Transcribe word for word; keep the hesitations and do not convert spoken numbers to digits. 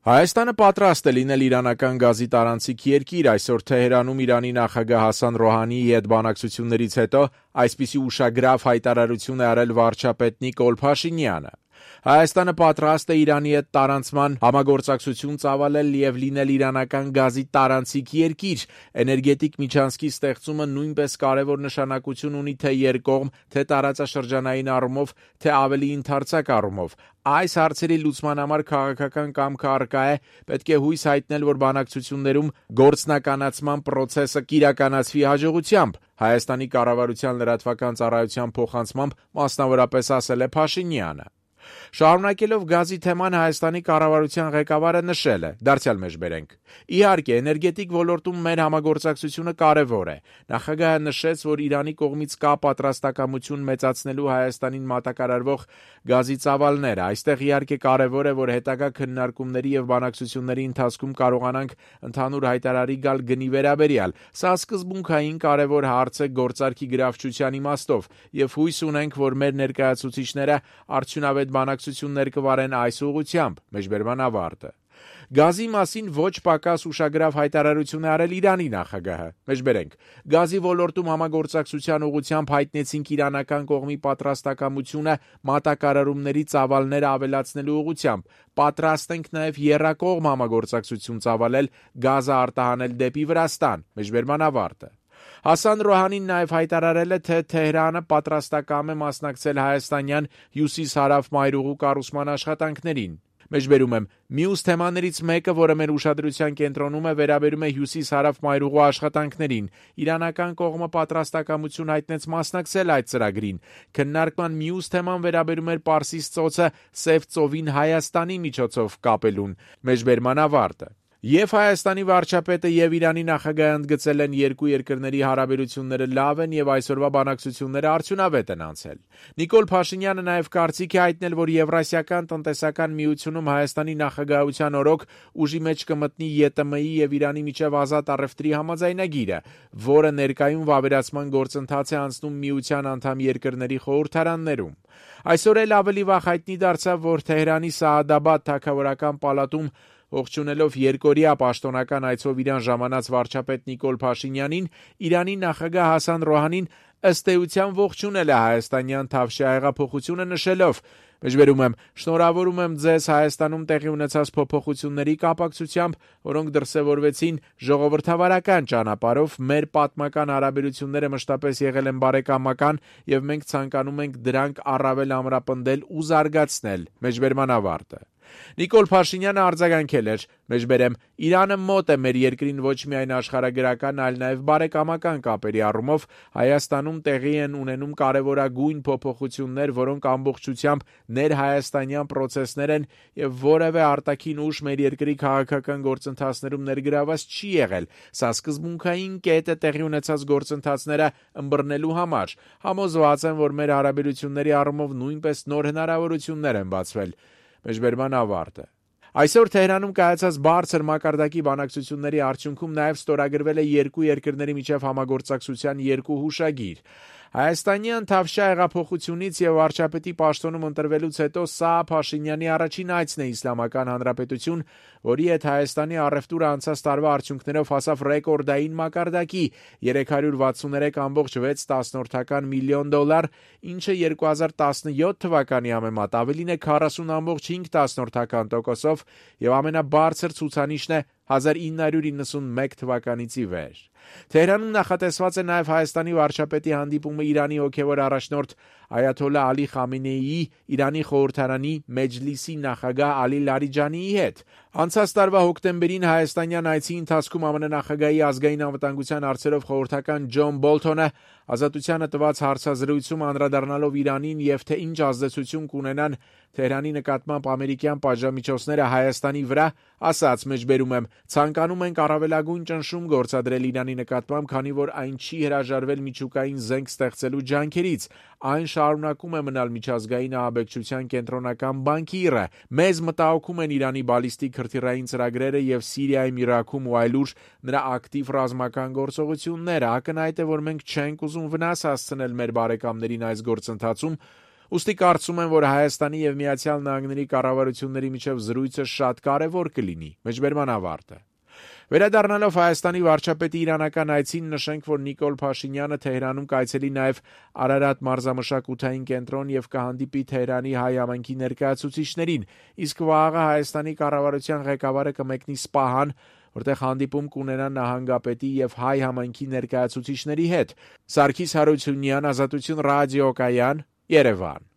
Հայաստանը պատրաստ է լինել իրանական գազի տարանցիկ երկիր, այսօր Թեհրանում Իրանի նախագահ Հասան Ռոհանիի հետ բանակցություններից հետո այսպիսի ուշագրավ հայտարարություն է արել վարչապետ Նիկոլ Փաշինյանը։ Հայաստանը պատրաստ է Իրանի հետ տարանցման համագործակցություն ծավալել և լինել իրանական գազի տարանցիկ երկիր։ Էներգետիկ միջանցքի ստեղծումը նույնպես կարևոր նշանակություն ունի թե երկկողմ, թե տարածաշրջանային առումով, թե ավելի ընդարձակ առումով։ Այս հարցերի լուծման համար քաղաքական կամքը առկա է, պետք է հույս հայտնել, որ բանակցություններում գործնականացման պրոցեսը կիրականացվի հաջողությամբ։ Հայաստանի կառավարության լրատվական ծառայության փոխանցմամբ մասնավորապես ասել է Փաշինյանը։ Շարունակելով գազի թեման Հայաստանի կառավարության ղեկավարը նշել է. դարձյալ մեջբերենք. Իհարկե, էներգետիկ ոլորտում մեր համագործակցությունը կարևոր է։ Նախագահը նշեց, որ Իրանի կողմից կա պատրաստակամություն մեծացնելու Հայաստանին մատակարարվող գազի ծավալները։ Այստեղ իհարկե կարևոր է, որ հետագա քննարկումների և բանակցությունների ընթացքում կարողանանք ընդհանուր հայտարարի գալ գնի վերաբերյալ։ Սա սկզբունքային կարևոր հարց է գործարքի գրավչության իմաստով, և հույս ունենք, որ մեր ներկայացուցիչները արդյունավետ բանակցություններ կվարեն այս ուղղությամբ։ Մեջբերման ավարտը։ Գազի մասին ոչ պակաս ուշագրավ հայտարարություն է արել Իրանի նախագահը։ Մեջբերենք. Գազի ոլորտում համագործակցության ուղղությամբ հայտնեցինք իրանական կողմի պատրաստակամությունը մատակարարումների ծավալները ավելացնելու ուղղությամբ։ Պատրաստ ենք նաև եռակողմ համագործակցություն ծավալել գազը արտահանել դեպի Վրաստան։ Մեջբերման ավարտը։ Հասան Ռոհանին նաև հայտարարել է, թե Թեհրանը պատրաստակամ է մասնակցել հայաստանյան հյուսիս-հարավ մայրուղու կառուցման աշխատանքներին։ Մեջբերում եմ. Մյուս թեմաներից մեկը, որը մեր ուշադրության կենտրոնում է, վերաբերում է հյուսիս-հարավ մայրուղու աշխատանքներին։ Իրանական կողմը պատրաստակամություն հայտնեց մասնակցել այդ ծրագրին։ Քննարկման մյուս թեման վերաբերում էր Պարսից ծոցը Սև ծովին Հայաստանի միջոցով կապելուն։ Մեջբերման ավարտը։ Եվ Հայաստանի վարչապետը և Իրանի նախագահը ընդգծել են երկու երկրների հարաբերությունները լավ են և այսօրվա բանակցությունները արդյունավետ են անցել։ Նիկոլ Փաշինյանը նաև կարծիք է հայտնել, որ Եվրասիական տնտեսական միությունում Հայաստանի նախագահության օրոք ուժի մեջ կմտնի ԵՏՄ-ի և Իրանի միջև ազատ առևտրի համաձայնագիրը, որը ներկայում վավերացման գործընթաց է անցնում միության անդամ երկրների խորհրդարաններում։ Այսօր էլ ավելի վաղ հայտնի դարձավ, որ Թեհրանի Սաադաբադ թագավորական պալատում ողջունելով երկօրյա պաշտոնական այցով Իրան ժամանած վարչապետ Նիկոլ Փաշինյանին, Իրանի նախագահ Հասան Ռոհանին ըստ էության ողջունել է հայաստանյան Թավշյա հեղափոխությունը նշելով. Մեջբերում եմ. շնորհավորում եմ ձեզ Հայաստանում տեղի ունեցած փոփոխությունների կապակցությամբ, որոնք դրսևորվեցին ժողովրդավարական ճանապարհով, մեր պատմական հարաբերությունները մշտապես եղել են բարեկամական և մենք ցանկանում ենք դրանք առավել ամրապնդել ու զարգացնել։ Մեջբերման ավարտը։ Նիկոլ Փաշինյանը արձագանքել էր. Մեջբերեմ. Իրանը մոտ է մեր երկրին ոչ միայն աշխարհագրական, այլ նաև բարեկամական կապերի առումով։ Հայաստանում տեղի են ունենում կարևորագույն փոփոխություններ, որոնք ամբողջությամբ ներհայաստանյան պրոցեսներ են և որևէ արտաքին ուժ մեր երկրի քաղաքական գործընթացներում ներգրաված չի եղել։ Սա սկզբունքային կետ է տեղի ունեցած գործընթացները ըմբռնելու համար։ Համոզված եմ, որ մեր հարաբերությունների առումով նույնպես նոր հնարավորություններ են բացվել։ Մեջբերման ավարտը։ Այսօր Թեհրանում կայացած բարձր մակարդակի բանակցությունների արդյունքում նաև ստորագրվել է երկու երկրների միջև համագործակցության երկու հուշագիր։ Հայաստանյան Թավշյա հեղափոխությունից և վարչապետի պաշտոնում ընտրվելուց հետո սա Փաշինյանի առաջին այցն է Իսլամական Հանրապետություն, որի հետ Հայաստանի առևտուրը անցած տարվա արդյունքներով հասավ ռեկորդային մակարդակի՝ երեք հարյուր վաթսուններեք կόμma վեց միլիոն դոլար, ինչը երկու հազար տասնյոթ թվականի համեմատ ավելին է քառասուն կόμma հինգ տոկոսով և ամենաբարձր ցուցանիշն է հազար ինը հարյուր իննսունմեկ թվականից ի վեր։ Թեհրանում նախատեսված է նաև Հայաստանի վարչապետի հանդիպումը Իրանի հոգևոր առաջնորդ Այաթոլլահ Ալի Խամենեիի, Իրանի խորհրդարանի Մեջլիսի նախագահ Ալի Լարիջանիի հետ։ Անցած տարվա հոկտեմբերին հայաստանյան այցի ընթացքում ԱՄՆ նախագահի ազգային անվտանգության հարցերով խորհրդական Ջոն Բոլթոնը Ազատությանը տված հարցազրույցում անդրադառնալով Իրանին և թե ինչ ազդեցություն կունենան Թեհրանի նկատմամբ ամերիկյան պատժամիջոցները Հայաստանի վրա, ասաց. մեջբերում եմ. ցանկանում ենք առավելագույն ճնշում գործադրել Իրանի նկատմամբ, քանի որ այն չի հրաժարվել միջուկային զենք ստեղծելու ջանքերից։ Այն շարունակում է մնալ միջազգային ահաբեկչության կենտրոնական բանկիրը։ Մեզ մտահոգում են Իրանի բալիստիկ հրթիռային ծրագրերը և Սիրիայում, Իրաքում ու այլուր նրա ակտիվ ռազմական գործողությունները։ Ակնհայտ է, որ մենք չենք ուզում վնաս հասցնել մեր բարեկամներին այս գործընթացում Ուստի կարծում եմ, որ Հայաստանի եւ Միացյալ Նահանգների կառավարությունների միջև զրույցը շատ կարեւոր կլինի։ Մեջբերման ավարտը։ Վերադառնալով Հայաստանի վարչապետի իրանական այցին, նշենք, որ Նիկոլ Փաշինյանը Թեհրանում կայցելի նաև Արարատ մարզամշակութային կենտրոն եւ կհանդիպի Թեհրանի հայ համայնքի ներկայացուցիչներին, իսկ վաղը Հայաստանի կառավարության ղեկավարը կմեկնի Սպահան, որտեղ հանդիպում կունենա նահանգապետի եւ հայ համայնքի ներկայացուցիչների հետ։ Սարգիս Հարությունյան, Ազատություն ռադիոկայան, Երևան։